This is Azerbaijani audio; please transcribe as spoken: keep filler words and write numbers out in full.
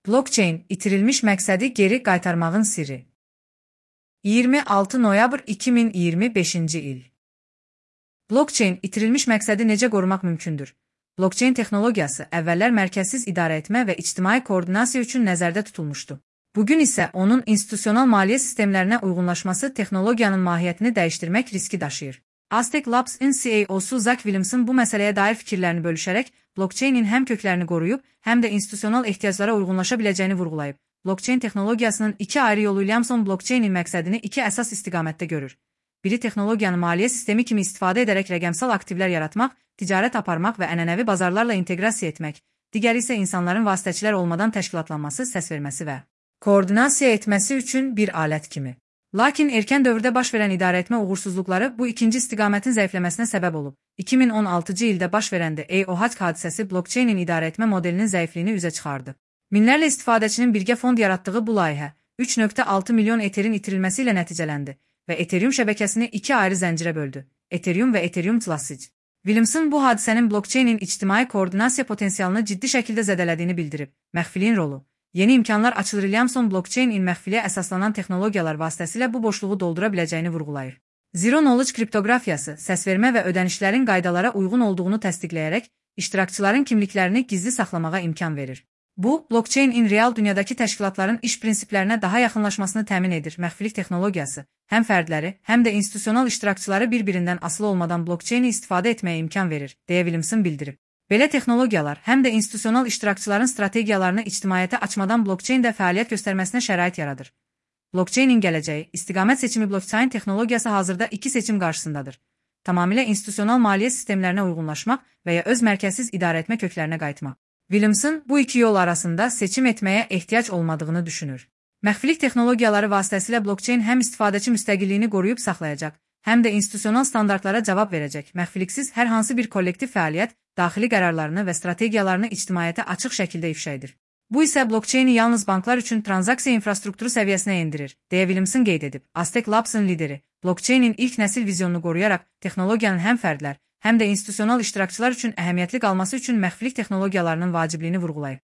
Blockchain, itirilmiş məqsədi geri qaytarmağın sirri. iyirmi altı noyabr iki min iyirmi beşinci il. Blockchain, itirilmiş məqsədi necə qorumaq mümkündür? Blockchain texnologiyası əvvəllər mərkəzsiz idarə etmə və ictimai koordinasiya üçün nəzərdə tutulmuşdu. Bugün isə onun institusional maliyyə sistemlərinə uyğunlaşması texnologiyanın mahiyyətini dəyişdirmək riski daşıyır. Aztec Labs-ın C E O-su Zach Williamson bu məsələyə dair fikirlərini bölüşərək, blockchainin həm köklərini qoruyub, həm də institusional ehtiyaclara uyğunlaşa biləcəyini vurğulayıb. Blockchain texnologiyasının iki ayrı yolu Williamson blockchainin məqsədini iki əsas istiqamətdə görür. Biri texnologiyanı maliyyə sistemi kimi istifadə edərək rəqəmsal aktivlər yaratmaq, ticarət aparmaq və ənənəvi bazarlarla inteqrasiya etmək, digəri isə insanların vasitəçilər olmadan təşkilatlanması, səs verməsi və koordinasiya etməsi üçün bir alət kimi. Lakin erkən dövrdə baş verən idarəetmə uğursuzluqları bu ikinci istiqamətin zəifləməsinə səbəb olub. iki min on altıncı ildə baş verəndə E O H hadisəsi blockchainin idarəetmə modelinin zəifliyini üzə çıxardı. Minlərlə istifadəçinin birgə fond yaratdığı bu layihə üç nöqtə altı milyon Etherin itirilməsi ilə nəticələndi və Ethereum şəbəkəsini iki ayrı zəncirə böldü: Ethereum və Ethereum Classic. Williamson bu hadisənin blockchainin ictimai koordinasiya potensialını ciddi şəkildə zədələdiyini bildirib. Məxfiliyin rolu. Yeni imkanlar açılır. Williamson blockchainin məxfiliyə əsaslanan texnologiyalar vasitəsilə bu boşluğu doldura biləcəyini vurğulayır. Zero Knowledge kriptografiyası, səsvermə və ödənişlərin qaydalara uyğun olduğunu təsdiqləyərək, iştirakçıların kimliklərini gizli saxlamağa imkan verir. Bu, blockchainin real dünyadakı təşkilatların iş prinsiplərinə daha yaxınlaşmasını təmin edir. Məxfilik texnologiyası həm fərdləri, həm də institusional iştirakçıları bir-birindən asılı olmadan blockchaini istifadə etməyə imkan verir, deyə Williamson bildirib. Belə texnologiyalar həm də institusional iştirakçıların strategiyalarını ictimaiyyətə açmadan blockchaində fəaliyyət göstərməsinə şərait yaradır. Blockchainin gələcəyi, istiqamət seçimi. Blockchain texnologiyası hazırda iki seçim qarşısındadır. Tamamilə institusional maliyyə sistemlərinə uyğunlaşmaq və ya öz mərkəzsiz idarəetmə köklərinə qayıtmaq. Williamson bu iki yol arasında seçim etməyə ehtiyac olmadığını düşünür. Məxfilik texnologiyaları vasitəsilə blockchain həm istifadəçi müstəqilliyini qoruyub saxlayacaq, həm də institusional standartlara cavab verəcək. Məxfiliksiz hər hansı bir kollektiv fəaliyyət daxili qərarlarını və strategiyalarını ictimaiyyətə açıq şəkildə ifşa edir. Bu isə blockchaini yalnız banklar üçün transaksiya infrastrukturu səviyyəsinə endirir, deyə Williamson qeyd edib. Aztec Labs-ın lideri, blockchainin ilk nəsil vizyonunu qoruyaraq, texnologiyanın həm fərdlər, həm də institusional iştirakçılar üçün əhəmiyyətli qalması üçün məxfilik texnologiyalarının vacibliyini vurğulayıb.